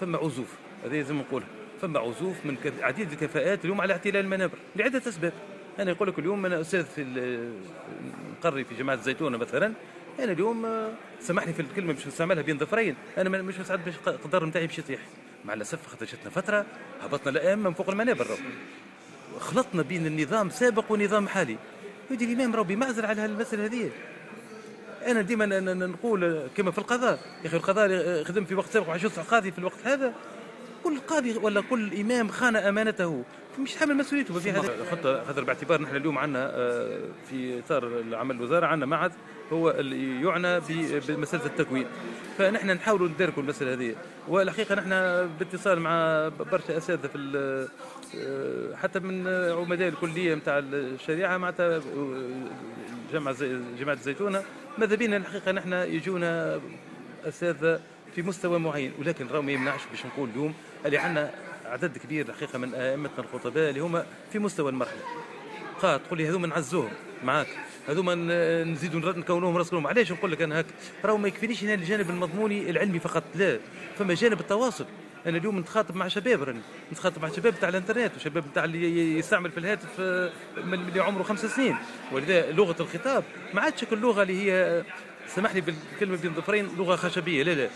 فما عزوف، هذا لازم نقولها، فما عزوف من عديد الكفاءات اليوم على اعتلاء المنابر لعدة اسباب. انا يقول لك اليوم انا استاذ في نقري في جامعه الزيتونه مثلا، انا اليوم سامحني في الكلمة باش نستعملها بين ظفرين، انا مش مستعد باش القدر نتاعي باش يطيح. مع الاسف خاطر جاتنا فترة هبطنا الائمة من فوق المنابر، خلطنا بين النظام سابق ونظام حالي. يدي الامام راهو بمعزل على هالمسالة هذه. انا ديما نقول كما في القضاء، يا اخي القضاء خدم في وقت سابق وعاش يصلح قاضي في الوقت هذا. كل قاضي ولا كل امام خان امانته مش حامل مسؤوليته في هذا خطه. خاطر باعتبار نحن اليوم عندنا في اطار العمل الوزارة عندنا معهد هو اللي يعنى بمسالة التكوين، فنحن نحاولوا نداركوا المسالة هذه. والحقيقة نحن باتصال مع برشا اساتذة في حتى من عمداء الكلية نتاع الشريعة معناتها جامعه الزيتونه، ماذا بينا الحقيقة نحن يجونا اساتذة في مستوى معين، ولكن راهو ما يمنعش باش نقول اليوم اللي عندنا عدد كبير الحقيقة من ائمتنا الخطباء اللي هما في مستوى المرحلة. قا تقول لي هذوما نعزوهم معاك، هذوما نزيدوا نكونوهم راس. علاش نقول لك انا هك؟ راهو ما يكفينيش انا الجانب المضموني العلمي فقط، لا، فما جانب التواصل. انا اليوم نتخاطب مع شباب، راني نتخاطب مع شباب تاع الانترنت وشباب تاع اللي يستعمل في الهاتف من اللي عمره 5 سنين، ولذا لغة الخطاب ما عادش اللغة اللي هي، سامحني بالكلمه، بين ظفرين، لغة خشبيه، لا لا.